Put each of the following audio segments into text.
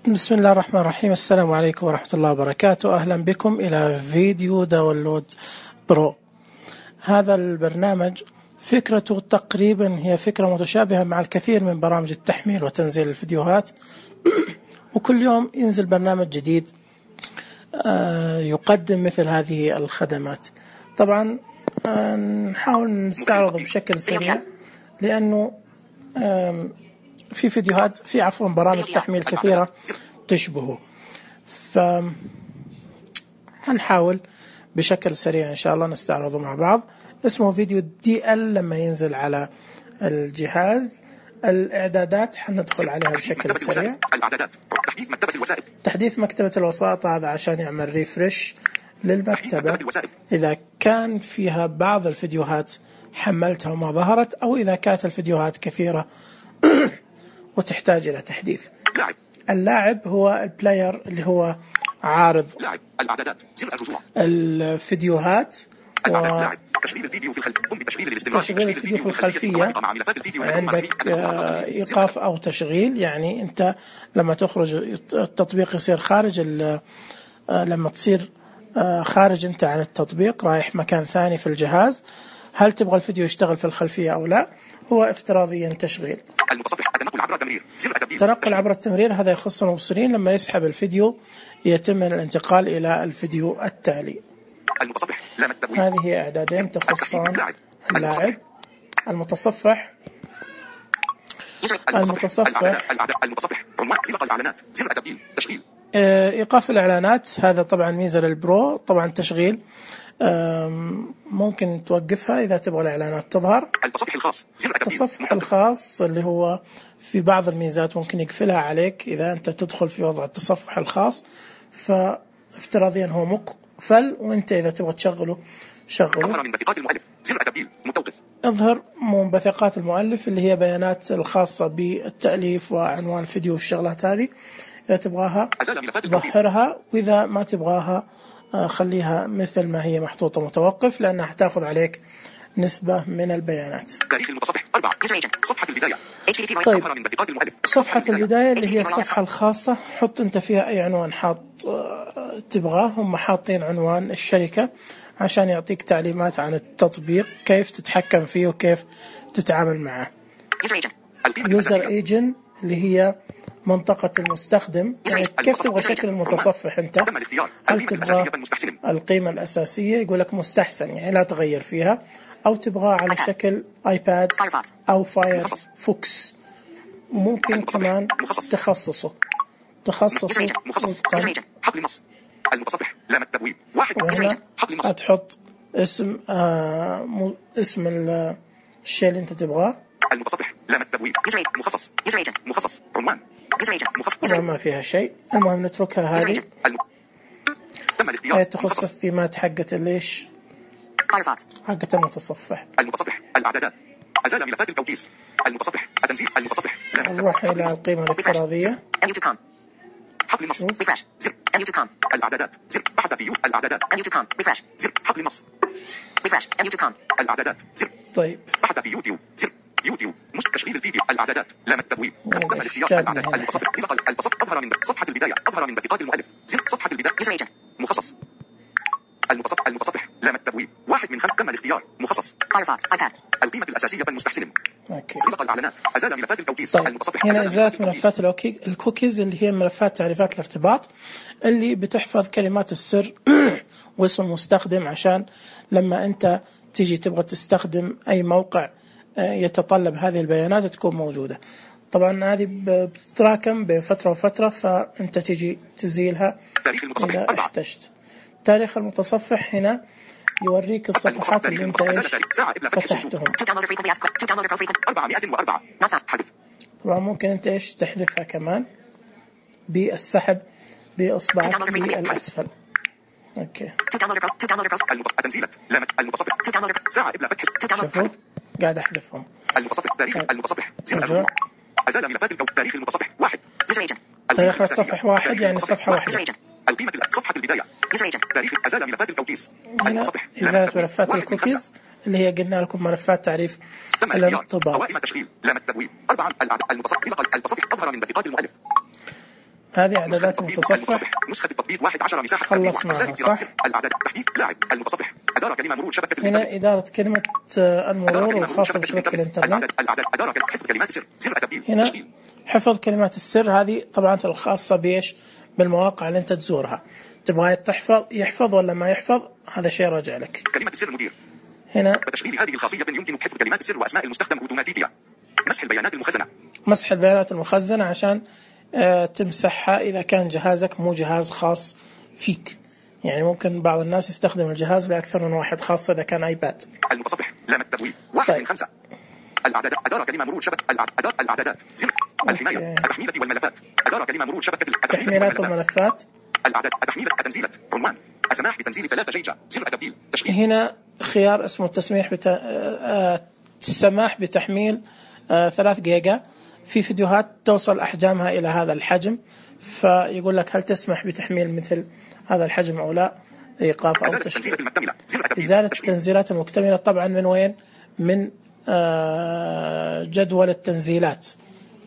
بسم الله الرحمن الرحيم. السلام عليكم ورحمة الله وبركاته. أهلا بكم إلى فيديو داونلود برو. هذا البرنامج فكرته تقريبا هي فكرة متشابهة مع الكثير من برامج التحميل وتنزيل الفيديوهات وكل يوم ينزل برنامج جديد يقدم مثل هذه الخدمات. طبعا نحاول نستعرضه بشكل سريع لأنه في برامج تحميل كثيرة تشبهه، فهنحاول بشكل سريع إن شاء الله نستعرضه مع بعض. اسمه فيديو DL. لما ينزل على الجهاز الإعدادات حندخل عليها بشكل سريع. تحديث مكتبة الوسائط هذا عشان يعمل ريفرش للمكتبة إذا كان فيها بعض الفيديوهات حملتها وما ظهرت، أو إذا كانت الفيديوهات كثيرة وتحتاج إلى تحديث. اللاعب هو البلاير اللي هو عارض الفيديوهات تشغيل الفيديو في الخلفية. عندك إيقاف أو تشغيل، يعني أنت لما تخرج التطبيق يصير خارج، لما تصير خارج أنت عن التطبيق رايح مكان ثاني في الجهاز، هل تبغى الفيديو يشتغل في الخلفية أو لا؟ هو افتراضيا تشغيل. تنقل عبر التمرير هذا يخص المبصرين، لما يسحب الفيديو يتم الانتقال إلى الفيديو التالي. هذه إعدادين تخصان اللاعب. المتصفح إيقاف الإعلانات، هذا طبعا ميزة للبرو. طبعا تشغيل ممكن توقفها إذا تبغى الإعلانات تظهر. التصفح الخاص اللي هو في بعض الميزات ممكن يقفلها عليك إذا أنت تدخل في وضع التصفح الخاص، فافتراضيا هو مقفل، وأنت إذا تبغى تشغله شغله. اظهر منبثقات المؤلف اللي هي بيانات الخاصة بالتأليف وعنوان الفيديو والشغلات هذه، إذا تبغاها ظهرها، وإذا ما تبغاها خليها مثل ما هي محطوطة متوقف، لأنها حتاخذ عليك نسبة من البيانات. تاريخ المتصفح 4 صفحة البداية. طيب، صفحة البداية اللي هي الصفحة الخاصة، حط أنت فيها أي عنوان تبغاه. هم حاطين عنوان الشركة عشان يعطيك تعليمات عن التطبيق، كيف تتحكم فيه وكيف تتعامل معه. يوزر ايجنت اللي هي منطقة المستخدم، يعني كيف تبغى شكل المتصفح أنت. هل تبغى القيمة الأساسية، يقول لك مستحسن يعني لا تغير فيها، أو تبغى على شكل آيباد أو فايرفوكس. ممكن كمان تخصصه وفقا. المتصفح لا التبويب واحد. وهنا تحط اسم الشيء اللي أنت تبغاه. المتصفح لا التبويب مخصص عنوان ما فيها شيء. المهم نتركها هذه. تم الاختيار. تخص الثيمات حقت ليش حقت المتصفح. المتصفح الإعدادات، أزال ملفات التوكيس. المتصفح التنزيل. المتصفح نروح إلى القيمة الافتراضية. حقل النص ريفرش زر MU2com. الإعدادات زر بحث في الإعدادات MU2com ريفرش زر حقل النص ريفرش MU2com. الإعدادات زر. طيب، بحث في يوتيوب زر يوتيوب تشغيل الفيديو. الإعدادات لام التبويب. تم الاختيار. الإعدادات. المتصفح المتصفح أظهر من صفحة البداية. أظهر من دقيقات المؤلف زر صفحة البداية. مخصص. المتصفح لام التبويب واحد من 5. تم الاختيار. مخصص فايرفوكس آيباد. القيمة الأساسية المستحسن. غلق الإعلانات. أزال ملفات التوكيس. طيب. المتصفح هنا إزالة ملفات الكوكيز اللي هي ملفات تعريفات الارتباط اللي بتحفظ كلمات السر واسم المستخدم، عشان لما أنت تيجي تبغى تستخدم أي موقع يتطلب هذه البيانات تكون موجودة. طبعا هذه بتتراكم بين فترة وفترة، فأنت تيجي تزيلها إذا احتجت. تاريخ المتصفح هنا يوريك الصفحات اللي انت فتحتهم. 404 حذف. طبعا ممكن انت تحذفها كمان بالسحب بإصبعك للأسفل. اوكي. التنزيلات لامت المتصفح ساعة إبلا فتح. شوفوا قاعد أحذفهم. المتصفح تاريخ المتصفح زر الرجوع. أزال ملفات تاريخ المتصفح 1. تاريخ الصفحة 1 يعني صفحة واحدة. القيمة صفحة البداية. تاريخ أزال ملفات التوكيس. المتصفح إزالة ملفات الكوكيز اللي هي قلنا لكم ملفات تعريف الارتباط. قوائم التشغيل لام التبويب 4. المتصفح أظهر من دقيقات المؤلف. هذه إعدادات المتصفح. نسخة التطبيق 11 مساحة خلصناها صح؟ الأعداد تحديث لاعب المتصفح أدارة كلمة مرور شبكة هنا إدارة كلمة المرور الخاصة بشبكة الإنترنت. الأعداد أدارة حفظ كلمات سر التبديل. هنا حفظ كلمات السر، هذه طبعا الخاصة بإيش؟ بالمواقع اللي أنت تزورها. تبغى يحفظ ولا ما يحفظ، هذا شيء راجع لك. كلمة السر المدير. هنا بتشغيل هذه الخاصية يمكن حفظ كلمات السر وأسماء المستخدم أوتوماتيكيا. مسح البيانات المخزنة. مسح البيانات المخزنة عشان تمسحها إذا كان جهازك مو جهاز خاص فيك. يعني ممكن بعض الناس يستخدم الجهاز لأكثر من واحد، خاصة إذا كان آيباد. المتصفح لام التبويب 1 من 5. الأعدادات أدارة كلمة مرور شبكة الأعدادات زر الحماية التحميلة والملفات أدارة كلمة مرور شبكة التحميلات والملفات الأعداد التحميل التنزيلات عنوان السماح بتنزيل 3 جيجا زر التبديل تشغيل. هنا خيار اسمه السماح بتحميل 3 جيجا. في فيديوهات توصل أحجامها إلى هذا الحجم، فيقول لك هل تسمح بتحميل مثل هذا الحجم أو لا، إيقاف أو تشغيل. إزالة التنزيلات المكتملة طبعا من وين؟ من جدول التنزيلات.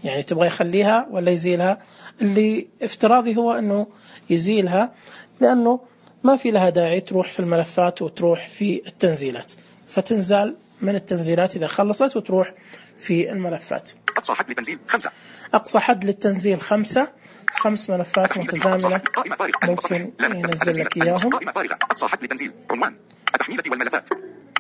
يعني تبغى يخليها ولا يزيلها؟ اللي افتراضي هو أنه يزيلها، لأنه ما في لها داعي تروح في الملفات وتروح في التنزيلات، فتنزال من التنزيلات إذا خلصت وتروح في الملفات. أقصى حد للتنزيل 5. أقصى حد للتنزيل 5 ملفات متزامنة ممكن ينزل لك إياهم. قائمة فارغة أقصى حد للتنزيل عنوان التحميلة والملفات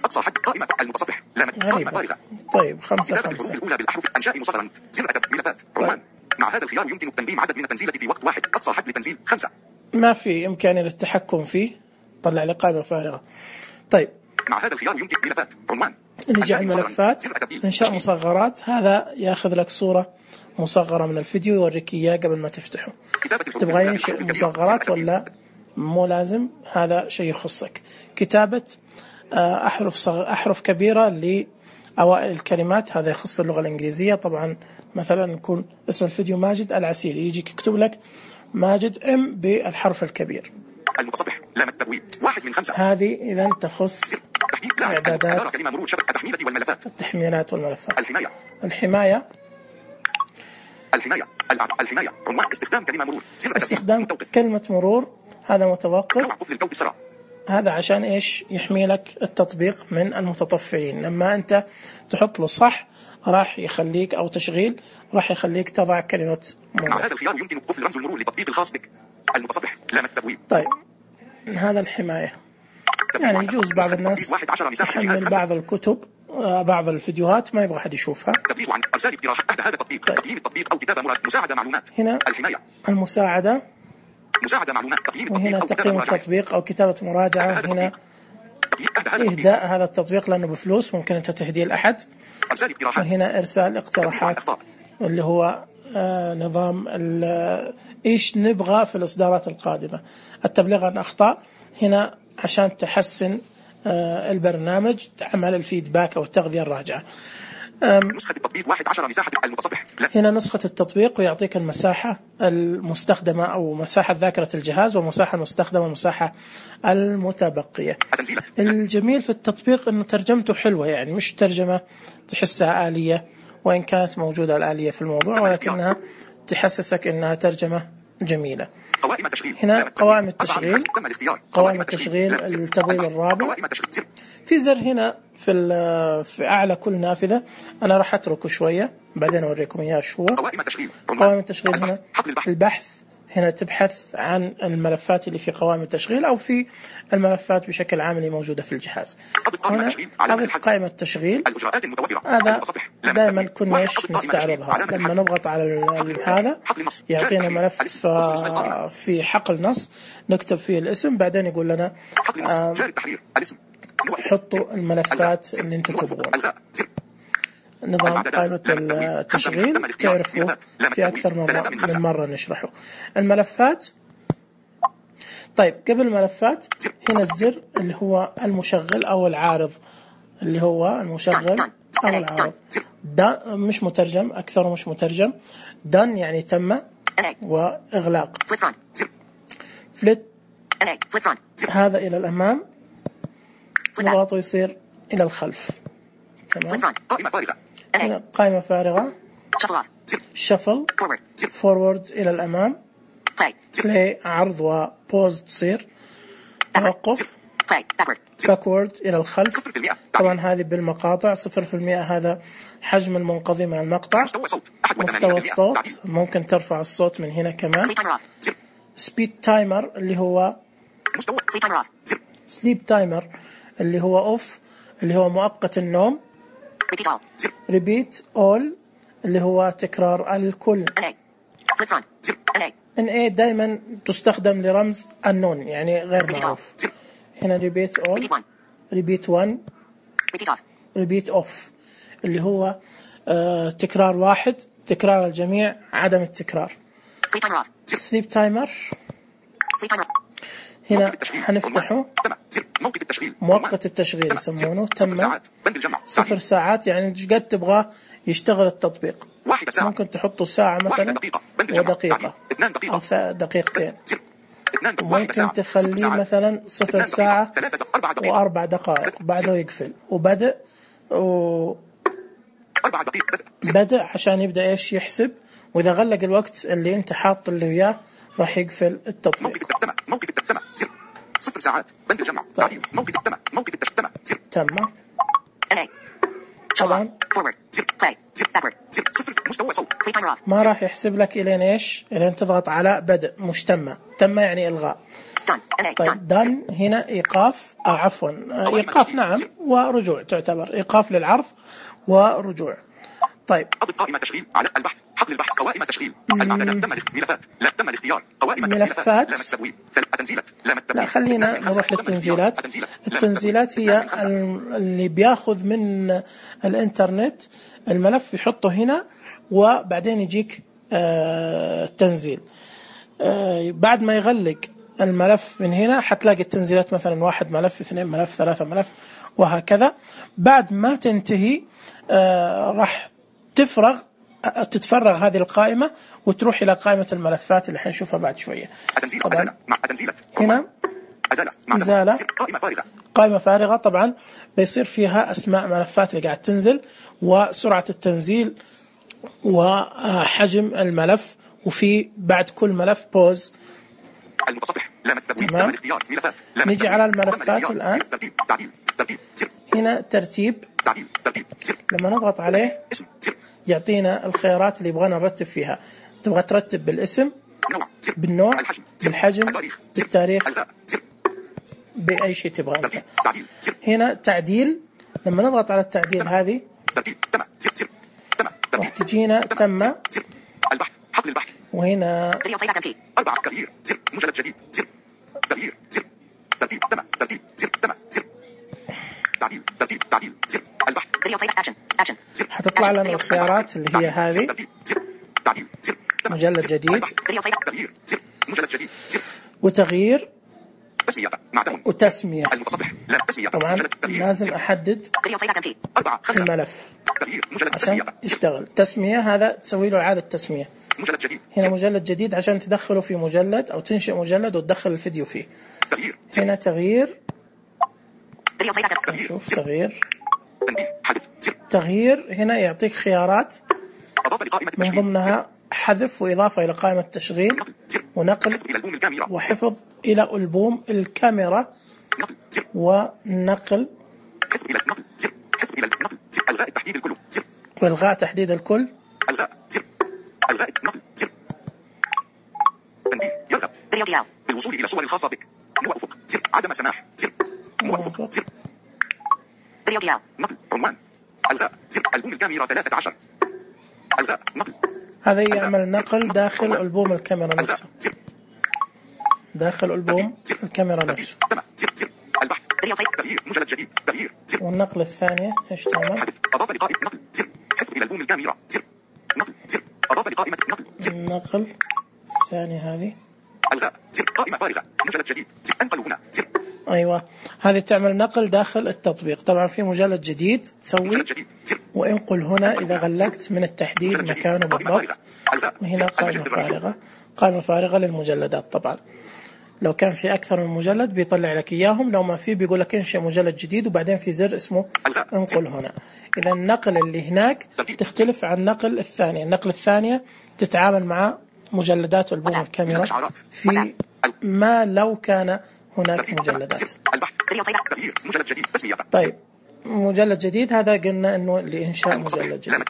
أقصى حد قائمة المتصفح قائمة فارغة. طيب 5 الحروف الأولى بالأحرف أنشاء مصغرا زر ملفات عنوان. مع هذا الخيار يمكن تنظيم عدد من التنزيلات في وقت واحد. أقصى حد للتنزيل 5. ما في إمكانية للتحكم فيه، طلع لي قائمة فارغة. طيب مع هذا الخيار يمكن ملفات عنوان نرجع الملفات إنشاء مصغرات. هذا ياخذ لك صورة مصغرة من الفيديو يوريك إياه قبل ما تفتحه. تبغى ينشئ مصغرات ولا مو لازم؟ هذا شيء يخصك. كتابة أحرف كبيرة لأوائل الكلمات، هذا يخص اللغة الإنجليزية. طبعا مثلا يكون اسم الفيديو ماجد العسيلي، يجيك يكتب لك ماجد ام بالحرف الكبير. المتصفح لام التبويب 1 من 5. هذه إذا تخص إعدادات التحميلات والملفات. الحماية عنوان استخدام كلمة مرور استخدام كلمة مرور، هذا متوقف. هذا عشان إيش؟ يحمي لك التطبيق من المتطفلين. لما أنت تحط له صح راح يخليك، أو تشغيل راح يخليك تضع كلمة مرور. مع هذا الخيار يمكن قفل رمز المرور للتطبيق الخاص بك. المتصفح لام التبويب. طيب هذا الحماية، يعني يجوز بعض الناس يحمل بعض الكتب بعض الفيديوهات ما يبغى أحد يشوفها. تبليغ عن إرسال اقتراح تحت هذا التطبيق. تقييم التطبيق أو كتابة مساعدة معلومات. هنا الحماية المساعدة، معلومات. وهنا تقييم التطبيق أو كتابة مراجعة. هنا إهداء هذا التطبيق لأنه بفلوس، ممكن أنت تهديه لأحد. وهنا إرسال اقتراحات اللي هو نظام إيش نبغى في الإصدارات القادمة. التبليغ عن أخطاء هنا عشان تحسن البرنامج، عمل الفيدباك أو التغذية الراجعة. نسخة التطبيق 11 مساحة المتصفح. هنا نسخة التطبيق ويعطيك المساحة المستخدمة أو مساحة ذاكرة الجهاز، والمساحة المستخدمة والمساحة المتبقية. الجميل في التطبيق أنه ترجمته حلوة، يعني مش ترجمة تحسها آلية، وإن كانت موجودة الآلية في الموضوع، ولكنها تحسسك أنها ترجمة جميلة. هنا قوائم التشغيل، قوائم التشغيل التبويب الرابع. في زر هنا في أعلى كل نافذة، أنا راح أتركه شوية بعدين أوريكم إياه شو هو. قوائم التشغيل هنا البحث، هنا تبحث عن الملفات اللي في قوائم التشغيل أو في الملفات بشكل عام اللي موجودة في الجهاز. هنا أضف قائمة التشغيل، هذا دائما كنا نستعرضها لما نضغط على هذا يعطينا ملف في حقل نص نكتب فيه الاسم، بعدين يقول لنا حطوا الملفات اللي انتم تبغون. نظام قائمة التشغيل تعرفوا في أكثر من مرة نشرحه. الملفات، طيب قبل الملفات هنا الزر اللي هو المشغل أو العارض، اللي هو المشغل أو العارض. ده مش مترجم، أكثر مش مترجم. done يعني تم، وإغلاق فليت هذا إلى الأمام، نضغطه يصير إلى الخلف. تمام. قائمة فارغة. شفل فورورد إلى الأمام. بلاي عرض وبوز تصير توقف. باكورد إلى الخلف. طبعا هذه بالمقاطع 0%. هذا حجم المنقضي من المقطع. مستوى الصوت ممكن ترفع الصوت من هنا كمان. سبيد تايمر اللي هو سليب تايمر اللي هو اوف اللي هو مؤقت النوم. ريبيت اول اللي هو تكرار الكل. NA دائما تستخدم لرمز النون يعني غير معروف. هنا ريبيت اول، ريبيت 1، ريبيت اوف اللي هو تكرار واحد، تكرار الجميع، عدم التكرار. سليب تايمر هنا حنفتحه. مؤقت التشغيل يسمونه. تم 0 ساعات يعني قد تبغى يشتغل التطبيق. ممكن تحطه ساعة مثلا ودقيقة أو دقيقتين. ممكن تخليه مثلا 0 ساعة و4 دقائق بعده يقفل. وبدأ بدأ عشان يبدأ إيش يحسب، وإذا غلق الوقت اللي أنت حاط اللي وياه راح يقفل التطبيق. موقف التم 0 ساعات بند الجمع. تعديل موقف التم موقف التم تم. طبعا مستوى صوت ما راح يحسب لك إلين إيش إلين تضغط على بدء مش تم. تم يعني إلغاء. طيب دان هنا إيقاف أو عفوا إيقاف نعم ورجوع، تعتبر إيقاف للعرض ورجوع. طيب أضف قائمة تشغيل على البحث حقل البحث قوائم تشغيل المعدات تم ملفات لا تم الاختيار قوائم ملفات لام التبويب التنزيلات لام لا خلينا نروح للتنزيلات. التنزيلات هي اللي بياخذ من الانترنت الملف يحطه هنا وبعدين يجيك تنزيل. بعد ما يغلق الملف من هنا حتلاقي التنزيلات مثلا 1 ملف 2 ملف 3 ملف وهكذا. بعد ما تنتهي راح تتفرغ هذه القائمة وتروح إلى قائمة الملفات اللي حنشوفها بعد شوية. طبعا هنا إزالة قائمة فارغة. طبعا بيصير فيها أسماء ملفات اللي قاعد تنزل وسرعة التنزيل وحجم الملف، وفي بعد كل ملف بوز. المتصفح لام التبويب تم الاختيار ملفات. نجي على الملفات الآن. هنا ترتيب. لما نضغط عليه يعطينا الخيارات اللي يبغانا نرتب فيها. تبغى ترتب بالاسم، بالنوع، بالحجم، بالتاريخ، بأي شيء تبغى أنت. هنا تعديل. لما نضغط على التعديل هذه راح تجينا تم البحث حقل البحث. وهنا 4 تغيير مجلد جديد تغيير ترتيب تم ترتيب تم تعديل البحث حتطلع لنا الخيارات اللي هي هذه. مجلد جديد مجلد جديد وتغيير وتسمية. طبعا لازم أحدد الملف عشان يشتغل. تسمية هذا تسوي له إعادة تسمية. هنا مجلد جديد عشان تدخله في مجلد أو تنشئ مجلد وتدخل الفيديو فيه. هنا تغيير. نشوف تغيير هنا يعطيك خيارات من ضمنها حذف وإضافة إلى قائمة التشغيل ونقل وحفظ إلى ألبوم الكاميرا ونقل إلغاء تحديد الكل وإلغاء تحديد الكل. إلغاء نقل تنبيه يرغب بالوصول إلى صور خاصة بك. موافق عدم سماح موافق نقل عنوان إلغاء ألبوم الكاميرا 13 إلغاء نقل. هذا يعمل نقل داخل ألبوم الكاميرا نفسه. داخل ألبوم الكاميرا نفسه. البحث تغيير مجلد جديد تغيير. والنقل الثانية ايش تعمل؟ أضاف لقائمة نقل حذف إلى ألبوم الكاميرا نقل أضاف لقائمة نقل. النقل الثانية هذه الغاء قائمة فارغة مجلد جديد انقلوا هنا. أيوة هذه تعمل نقل داخل التطبيق. طبعا في مجلد جديد تسوي وانقل هنا إذا غلقت من التحديد مكانه بالضبط. وهنا قائمة فارغة. قائمة فارغة للمجلدات. طبعا لو كان في أكثر من مجلد بيطلع لك إياهم، لو ما في بيقول لك انشئ مجلد جديد وبعدين في زر اسمه انقل هنا. إذا النقل اللي هناك تختلف عن النقل الثانية. النقل الثانية تتعامل مع مجلدات ألبوم الكاميرا في ما لو كان هناك مجلدات. طيب مجلد جديد هذا قلنا انه لإنشاء مجلد جديد.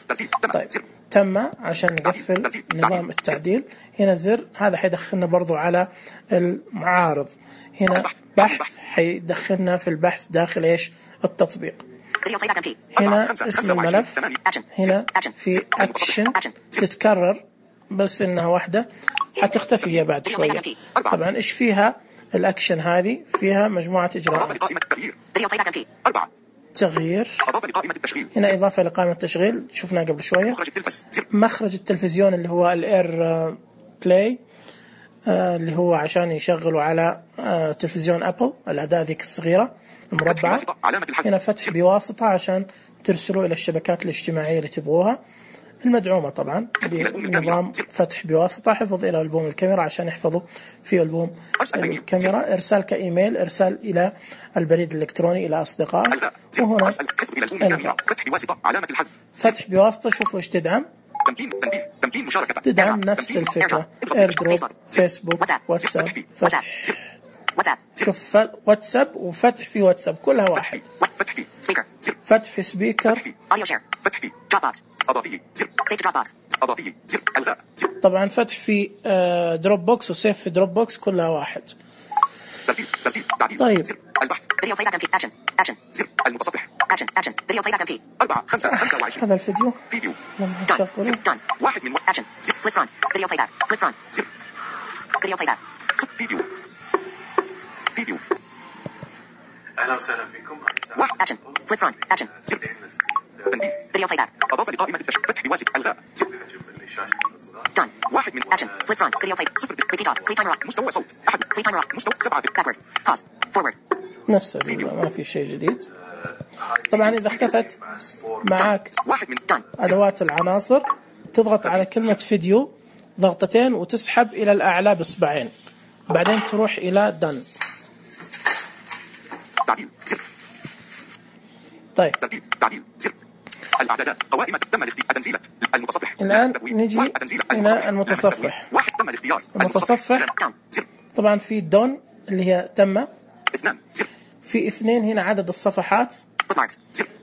طيب تم عشان نقفل نظام التعديل. هنا زر هذا حيدخلنا برضو على المعارض. هنا بحث حيدخلنا في البحث داخل ايش التطبيق. هنا اسم الملف. هنا في اكشن تتكرر بس انها واحدة حتختفي هي بعد شوية. طبعا ايش فيها الاكشن هذه؟ فيها مجموعة اجراءات. تغيير. هنا إضافة لقائمة التشغيل شفناه قبل شوية. مخرج التلفزيون اللي هو الإير بلاي اللي هو عشان يشغلوا على تلفزيون أبل الأداة ذيك الصغيرة المربعة. هنا فتح بواسطة عشان ترسلوا إلى الشبكات الاجتماعية اللي تبغوها المدعومة طبعا بنظام فتح بواسطة. حفظ إلى ألبوم الكاميرا عشان يحفظوا في ألبوم الكاميرا. إرسال كإيميل. إرسال إلى البريد الإلكتروني إلى أصدقائك. وهنا فتح بواسطة. شوفوا إيش تدعم. تدعم نفس الفكرة. إيردروب، فيسبوك، واتساب، فتح. شوف واتساب وفتح في واتساب كلها واحد. فتح في سبيكر. طبعا فتح في دروب بوكس وسيف في دروب بوكس كلها واحد. طيب هذا الفيديو لما نشغله اهلا وسهلا فيكم. فيديو بلاي باك. أضاف لقائمة فتح بواسطة الغاء. done. واحد من action. flip front. video play. 0 repeat on. sleep timer off. مستوى صوت. أحد. sleep timer off. مستوى 7 backward. pause. forward. نفس ما في شيء جديد. طبعا إذا اختفت معك أدوات العناصر تضغط على كلمة فيديو ضغطتين وتسحب إلى الأعلى بإصبعين بعدين تروح إلى done. طيب الأعدادات قوائم تم التنزيل المتصفح. الآن نجي إلى المتصفح. واحد تم الاختيار. المتصفح طبعا في دون اللي هي تم. في 2 هنا عدد الصفحات.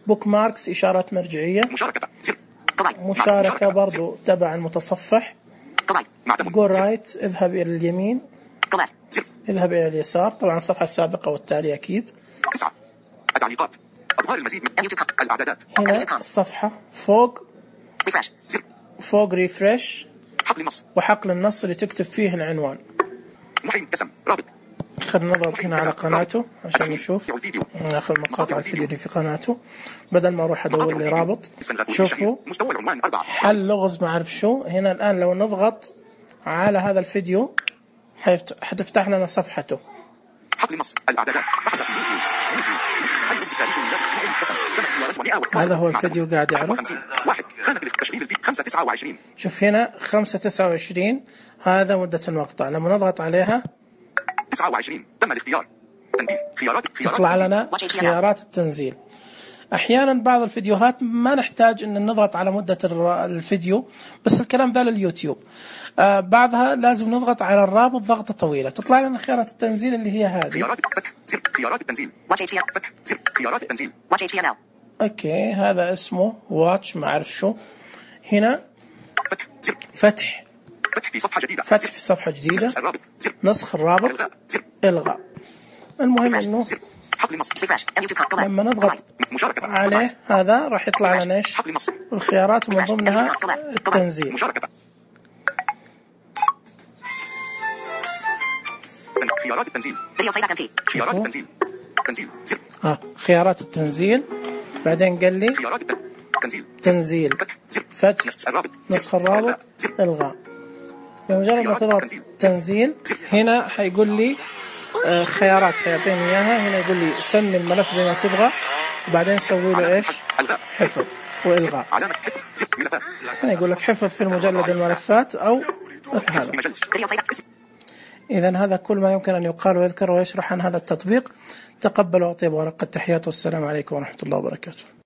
بوك ماركس إشارات مرجعية. مشاركة برضو تبع المتصفح. جو رايت اذهب إلى اليمين. اذهب إلى اليسار. طبعا الصفحة السابقة والتالية أكيد. 9 التعليقات. أظهار المزيد من الأعدادات. هنا الصفحة فوق ريفرش وحقل النص اللي تكتب فيه العنوان. محي اسم رابط. خلينا نضغط هنا على قناته عشان نشوف ناخذ مقاطع الفيديو اللي في قناته بدل ما اروح ادور لي رابط. شوفوا حل لغز ما اعرف شو. هنا الان لو نضغط على هذا الفيديو حتفتح لنا صفحته. حقل النص الأعدادات. هذا هو الفيديو قاعد يعرض. واحد خانة التشغيل في 5:29. شوف هنا 5:29 هذا مدة المقطع. لما نضغط عليها 29 تم الاختيار. تنبيه خيارات تطلع لنا خيارات التنزيل. أحيانا بعض الفيديوهات ما نحتاج أن نضغط على مدة الفيديو بس الكلام ذا لليوتيوب. بعضها لازم نضغط على الرابط ضغطة طويلة تطلع لنا خيارات التنزيل اللي هي هذه. خيارات فتح خيارات التنزيل. فتح خيارات التنزيل. اوكي هذا اسمه واتش ما اعرف شو. هنا فتح في صفحة جديدة. فتح في صفحة جديدة. نسخ الرابط. الغاء. المهم انه لما نضغط عليه هذا راح يطلع لنا ايش الخيارات ومن ضمنها التنزيل. خيارات التنزيل. خيارات التنزيل. تنزيل. خيارات التنزيل. بعدين قال لي خيارات التنزيل. تنزيل. فتح. نسخ الرابط. الغاء. بمجرد ما تضغط تنزيل هنا حيقول لي خيارات حيعطيني اياها. هنا يقول لي سمي الملف زي ما تبغى وبعدين سوي له ايش حفظ والغاء. هنا يقول لك حفظ في المجلد الملفات او هذا. إذن هذا كل ما يمكن أن يقال ويذكر ويشرح عن هذا التطبيق. تقبلوا وأطيب ورقة التحيات والسلام عليكم ورحمة الله وبركاته.